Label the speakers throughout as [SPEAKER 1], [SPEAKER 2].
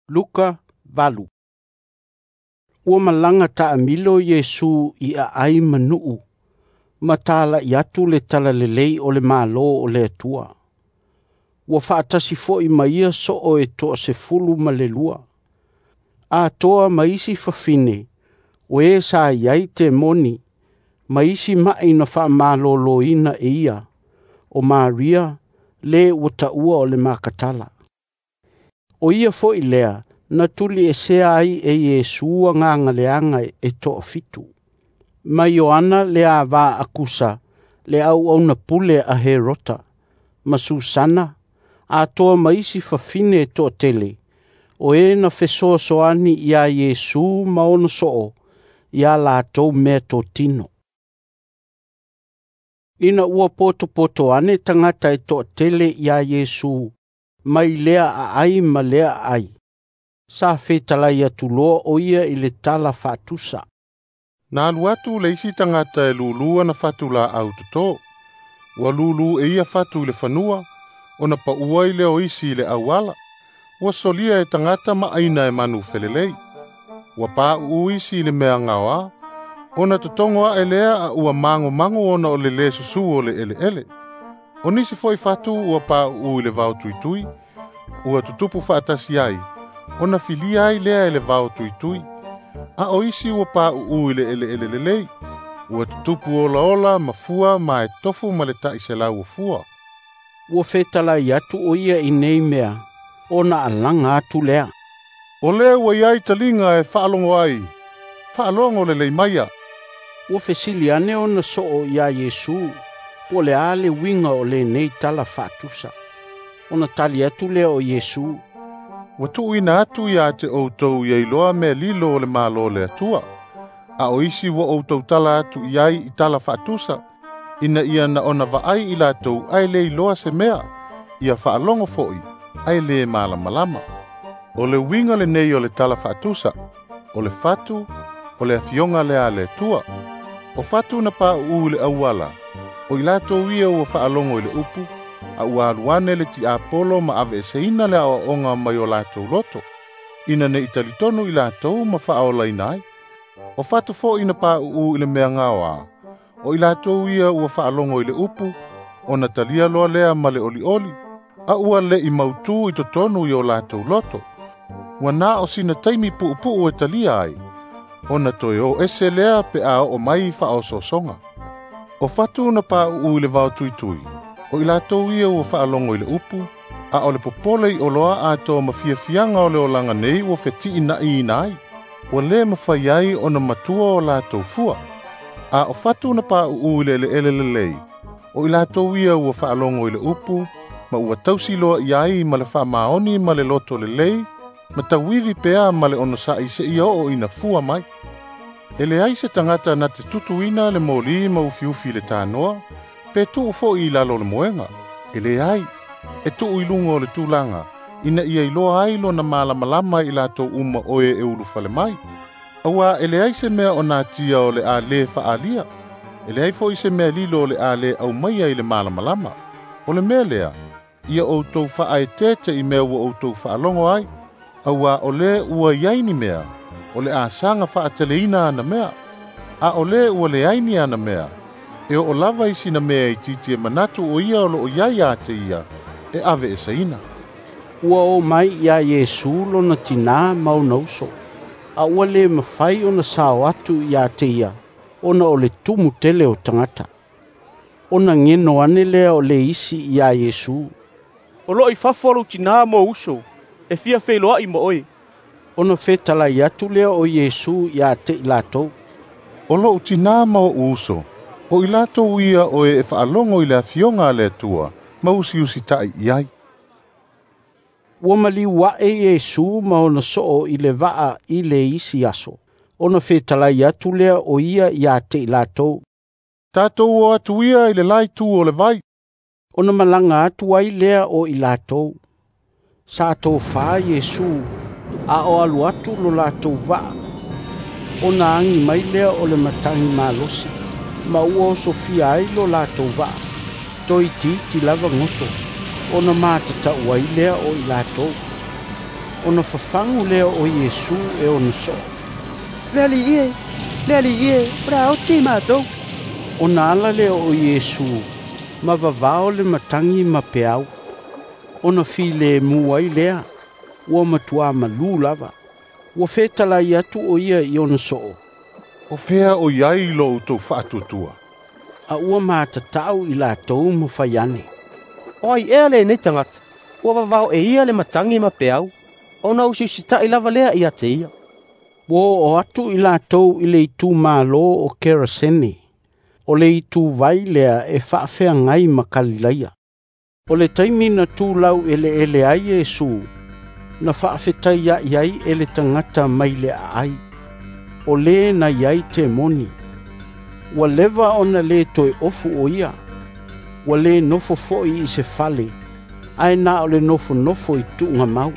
[SPEAKER 1] Luka 8. Ua malaga taamilo Iesu i aai ma nuu, ma talai atu le talalelei o le Malo o le Atua. Ua faatasi foi ma ia soo e 12, atoa ma isi fafine o e sa i ai temoni ma isi ma'i na faamaloloina e ia, o Maria, le ua taua o le Makatala. O ia foi lea na tuliesea ai e Iesu agaga leaga e toafitu, ma Ioana le ava a Kusa le auauna pule a Herota, ma Susana, atoa ma isi fafine e toatele, o e na fesoasoani ia Iesu ma ona soo ia latou meatotino. Ina ua potopoto ane tagata e toatele ia Iesu mai lea aai ma lea aai, sa fetalai atu loa o ia i le tala faatusa.
[SPEAKER 2] Na alu atu le isi tagata e lulu ana fatu laau toto. Ua lulu e ia fatu i le fanua, ona paua ai lea o isi i le auala. Ua solia e tagata ma aina e manu felelei. Ua pauu isi i le mea gaoa, ona totogo ae lea a ua magomago ona o le lē susu o le eleele. O nisi foi fatu ua pauu i le vao tuitui, ua tutupu faatasi ai, ona filia ai lea e le vao tuitui. A o isi ua pauu i le eleele lelei, ua tutupu olaola ma fua ma e tofu ma le 100 o fua.
[SPEAKER 1] Ua fetalai atu o ia i nei mea, ona alaga atu lea.
[SPEAKER 2] O le ua iai taliga e faalogo ai, faalogo lelei maia.
[SPEAKER 1] Ua fesili ane ona soo ia Iesu, po o le a le uiga o lenei tala faatusa. Ona tali atu lea o Iesu,
[SPEAKER 2] Ua tuuina atu ia te outou ia iloa mea lilo o le Malo o le Atua. A o isi ua outou tala atu i ai i tala faatusa, ina ia na ona vaai i latou ae le iloa se mea, ia faalogo foi ae le malamalama. O le uiga lenei o le tala faatusa, o le fatu, o le afioga lea a le Atua. O fatu na pauu i le auala, o i latou ia ua faalogo i le upu, a ua alu ane le tiapolo ma aveeseina le aoaoga mai o latou loto, ina nei talitonu i latou ma faaolaina ai. O fatu foi na pauu i le mea gaoa, o i latou ia ua faalogo i le upu, ona talia loa lea ma le olioli, a ua le'i mautu i totonu i o latou loto. Ua na o sina taimi puupuu e talia ai, ona toe o ese lea pe a oo mai faaosoosoga. O fatu na pauu i le vao tuitui, o i latou ia ua faalogo i le upu, a o le popole i oloa atoa ma fiafiaga o le olaga nei ua fetiina'iina ai, ua lē mafai ai ona matua o latou fua. A o fatu na pauu i le eleele lelei, o i latou ia ua faalogo i le upu, ma ua tausi loa i ai ma le faamaoni ma le loto lelei, ma tauivi pea ma le onosa'i seia oo ina fua mai. E leai se tagata na te tutuina le moli ma ufiufi i le tanoa, pe tuu foi i lalo o le moega. E leai, e tuu i luga o le tulaga, ina ia iloa ai lona malamalama i latou uma o e e ulufale mai. Auā e leai se mea o natia o le a lē faaalia, e leai foi se mea lilo o le a lē aumaia i le malamalama. O le mea lea, ia outou faaeteete i mea ua outou faalogo ai, auā o lē ua i ai ni mea, o le a saga faateleina ana mea. A o lē ua leai ni ana mea, e oo lava i sina mea itiiti e manatu o ia o loo iai ia te ia, e aveeseina.
[SPEAKER 1] Ua o mai ia Iesu lona tinā ma ona uso, a ua le mafai ona sao atu ia te ia, ona o le tumu tele o tagata. Ona geno ane lea o le isi ia Iesu,
[SPEAKER 3] O loo i fafo lou tinā ma ou uso, e fia feiloai ma oe.
[SPEAKER 1] Ona fetalai atu lea o Iesu ia te i latou,
[SPEAKER 2] O lou tinā ma oʻu uso, o i latou ia o e faalogo i le afioga a le Atua, ma usiusita'i i ai.
[SPEAKER 1] Ua maliu ae Iesu ma ona soo i le vaa i le isi aso, ona fetalai atu lea o ia ia te i latou,
[SPEAKER 2] Tatou o atu ia i le la itu o le vai.
[SPEAKER 1] Ona malaga atu ai lea o i latou. Sa tofā Iesu, a o alu atu lo latou vaa. Ona agi mai lea o le matagi malosi, ma ua osofia ai lo latou vaa. Toitiiti lava goto, ona matatau ai lea o i latou. Ona fafagu lea o Iesu e ona so'o,
[SPEAKER 4] “Le Alii e, le Alii e, o le a oti matou!”
[SPEAKER 1] Ona ala lea o Iesu ma vavao le matagi ma peau, ona filemu ai lea, ua matuā malū lava. Ua fetalai atu o ia i ona soo,
[SPEAKER 2] “O fea o i ai lo outou faatuatua?”
[SPEAKER 1] A ua matata'u i latou ma fai ane,
[SPEAKER 4] “O ai ea lenei tagata, ua vavao e ia le matagi ma peau, ona usiusita'i lava lea ia te ia?”
[SPEAKER 1] Ua oo atu i latou i le itumalo o Kerasene, o le ituvai lea e faafeagai ma Kalilaia. O le taimi na tulau eleele ai Iesu, na faafetaia'i ai e le tagata mai le aai, o le na i ai temoni. Ua leva ona lē toe ofu o ia, ua lē nofo foi i se fale, ae na o le nofonofo i tuugamau.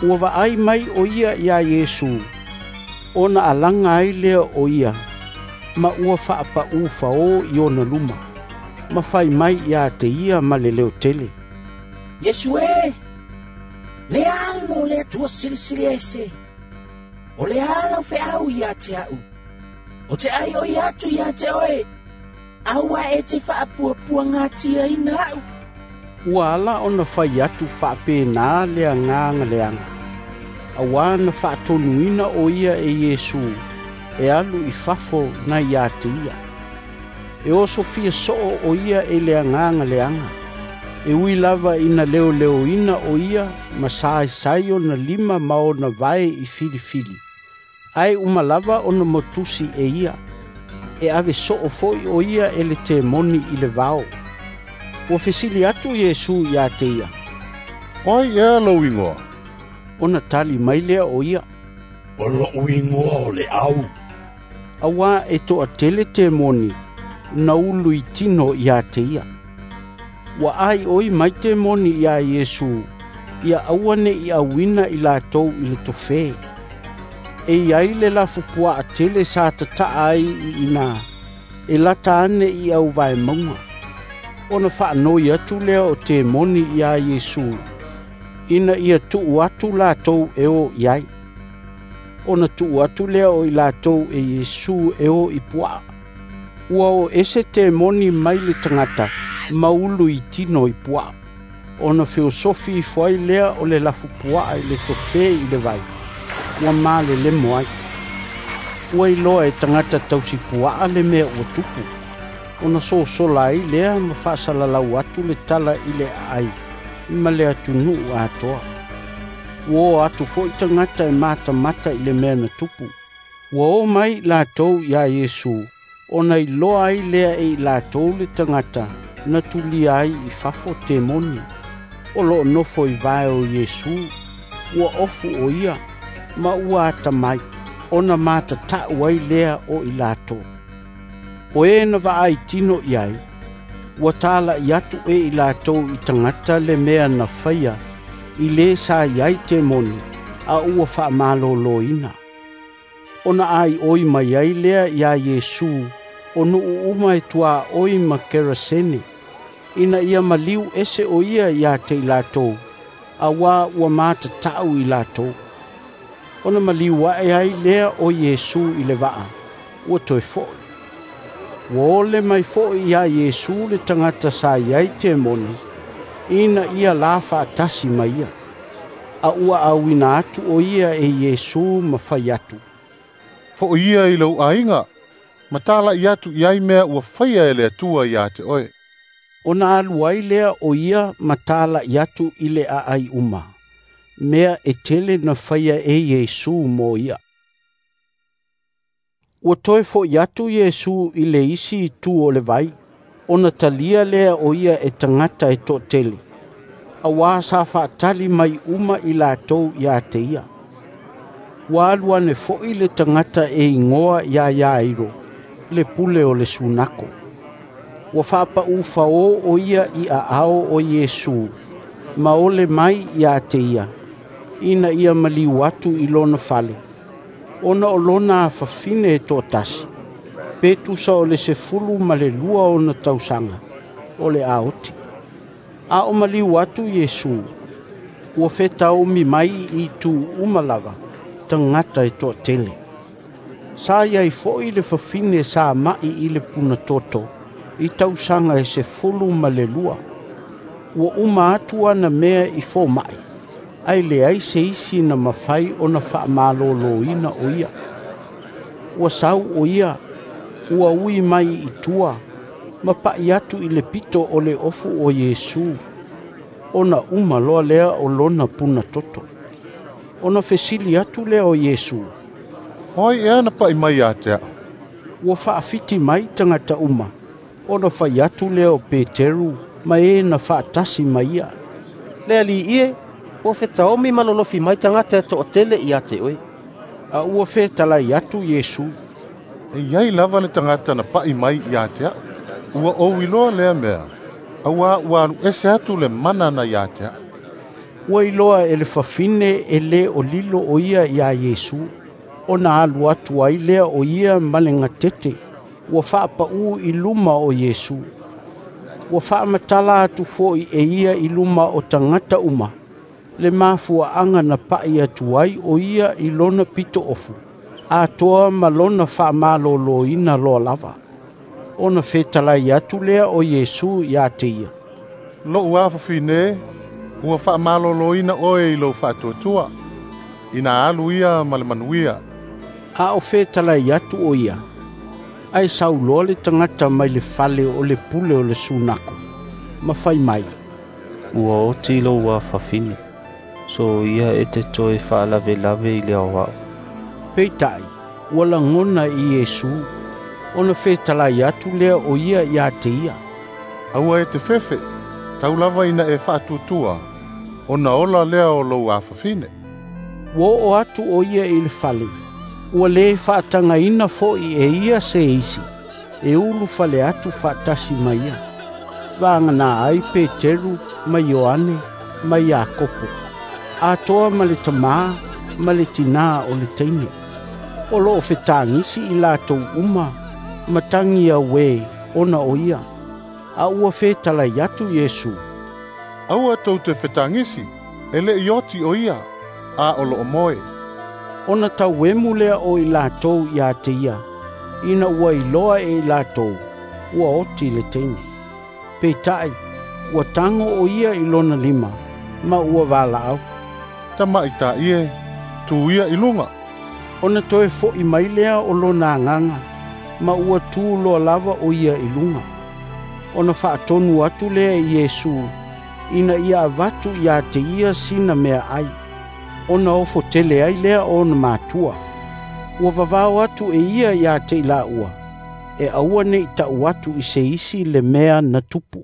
[SPEAKER 1] Ua vaai mai o ia iā Iesu, ona alaga ai lea o ia, ma ua faapaū faō i ona luma, ma fai mai ia te ia ma le leotele,
[SPEAKER 5] “Iesu e, le Alo o le Atua Silisili Ese, o le a lau feau ia te a'u? O te ai oi atu ia te oe, aua e te faapuapuagatiaina a'u.”
[SPEAKER 1] Ua ala ona fai atu faapena le agaga leaga, auā na faatonuina o ia e Iesu e alu i fafo nai ia te ia. E osofia soo o ia e le agaga leaga, e ui lava ina leoleoina o ia ma saesai ona lima ma ona vae i filifili, ae uma lava ona motusi e ia, e ave soo foi o ia e le temoni i le vao. Ua fesili atu Iesu ia te ia,
[SPEAKER 2] “O ai ea lou igoa?”
[SPEAKER 1] Ona tali mai lea o ia,
[SPEAKER 5] “O lo'u igoa o le Au.”
[SPEAKER 1] Auā e toatele temoni na ulu i tino ia te ia. Ua aioi mai temoni iā Iesu ia aua ne'i auina i latou i le tofē. E i ai le lafupuaa tele sa tata'a ai i ina e lata ane i auvaemauga. Ona faanoi atu lea o temoni iā Iesu ina ia tuu atu latou e o i ai. Ona tuu atu lea o i latou e Iesu e o i puaa. Ua o ese temoni mai le tagata ma ulu i tino i puaa. Ona feosofi ifo ai lea o le lafupuaa i le tofē i le vai, ua malelemo ai. Ua iloa e tagata tausipuaa le mea ua tupu, ona sosola ai lea ma faasalalau atu le tala i le aai ma le atunuu atoa. Ua o atu foi tagata e matamata i le mea na tupu. Ua o mai latou iā Iesu, ona iloa ai lea e i latou le tagata na tulia ai i fafo temoni, o loo nofo i vae o Iesu, ua ofu o ia, ma ua atamai, ona matata'u ai lea o i latou. O e na vaai tino i ai, ua tala'i atu e i latou i tagata le mea na faia i lē sa i ai temoni, a ua faamalōlōina. Ona aioi mai ai lea iā Iesu o nuu uma e tuaoi ma Kerasene, ina ia maliu ese o ia ia te i latou, auā ua matata'u i latou. Ona maliu ae ai lea o Iesu i le vaa, ua toe fo'i. Ua ole mai foi iā Iesu le tagata sa i ai temoni, ina ia la faatasi ma ia. A ua auina atu o ia e Iesu ma fai atu,
[SPEAKER 2] “Fo'i ia i lou aiga, ma tala'i atu i ai mea ua faia e le Atua ia te oe.”
[SPEAKER 1] Ona alu ai lea o ia ma tala'i atu i le aai uma, mea e tele na faia e Iesu mo ia. Ua toe fo'i atu Iesu i le isi itu o le vai, ona talia lea o ia e tagata e toatele, auā sa faatali mai uma i latou ia te ia. Ua alu ane foi le tagata e igoa iā Iairo, le pule o le sunako. Ua faapaū faō o ia i aao o Iesu, ma ole mai ia te ia, ina ia maliu atu i lona fale, ona o lona afafine e toatasi, pe tusa o le 12 ona tausaga, o le a oti. A o maliu atu Iesu, Ua fetaomi mai i itu uma lava tagata e toatele. Sa i ai foi le fafine sa ma'i i le punatoto i tausaga e 12. Ua uma atu ana mea i foma'i, ae leai se isi na mafai ona faamaloloina o ia. Ua sau o ia, ua ui mai i tua, ma pa'i atu i le pito o le ofu o Iesu, ona uma loa lea o lona punatoto. Ona fesili atu lea o Iesu,
[SPEAKER 2] “O ai ea na pa'i mai ia te a'u?”
[SPEAKER 1] Ua faafiti mai tagata uma, ona fai atu lea o Peteru ma e na faatasi ma ia,
[SPEAKER 4] “Le Alii e, ua fetaomi ma lolofi mai tagata e toatele ia te oe.”
[SPEAKER 1] A ua fetalai atu Iesu,
[SPEAKER 2] “E i ai lava le tagata na pa'i mai ia te a'u. Ua ou iloa lea mea, auā ua alu ese atu le mana na ia te a'u.”
[SPEAKER 1] Ua iloa e le fafine e le o lilo o ia iā Iesu, ona alu atu ai lea o ia ma le gatete ua faapaū i luma o Iesu. Ua faamatala atu foi e ia i luma o tagata uma le mafuaaga na pa'i atu ai o ia i lona pitoofu, atoa ma lona faamaloloina loa lava. Ona fetalai atu lea o Iesu ia te ia,
[SPEAKER 2] “Lo'u afafine, ua faamaloloina oe i lou faatuatua. Ina alu ia ma le manuia.”
[SPEAKER 1] A o fetalai atu o ia, ae sau loa le tagata mai le fale o le pule o le sunako, ma fai mai,
[SPEAKER 6] “Ua oti lou afafine. Soia e te toe faalavelave i le Aoao.”
[SPEAKER 1] Peitai, ua lagona i Iesu, ona fetalai atu lea o ia ia te ia,
[SPEAKER 2] “Aua e te fefe, tau lava ina e faatuatua, ona ola lea o lou afafine.”
[SPEAKER 1] Ua oo atu o ia i le fale, ua lē faatagaina foi e ia se isi e ulufale atu faatasi ma ia, vagana ai Peteru ma Ioane ma Iakopo, atoa ma le tamā ma le tinā o le teine. O loo fetagisi i latou uma ma tagi auē ona o ia. A ua fetalai atu Iesu,
[SPEAKER 2] “Aua tou te fetagisi, e le'i oti o ia, a o loo moe.”
[SPEAKER 1] Ona tauemu lea o i latou ia te ia, ina ua iloa e i latou ua oti le teine. Peitai, ua tago o ia i lona lima, ma ua valaau,
[SPEAKER 2] “Tamaita'i e, tu ia i luga.”
[SPEAKER 1] Ona toe fo'i mai lea o lona agaga, ma ua tu loa lava o ia i luga. Ona faatonu atu lea e Iesu, ina ia avatu ia te ia sina meaai, ona ofo tele ai lea o ona matua. Ua vavao atu e ia ia te i laua, e aua ne i ta'u atu i se isi le mea na tupu.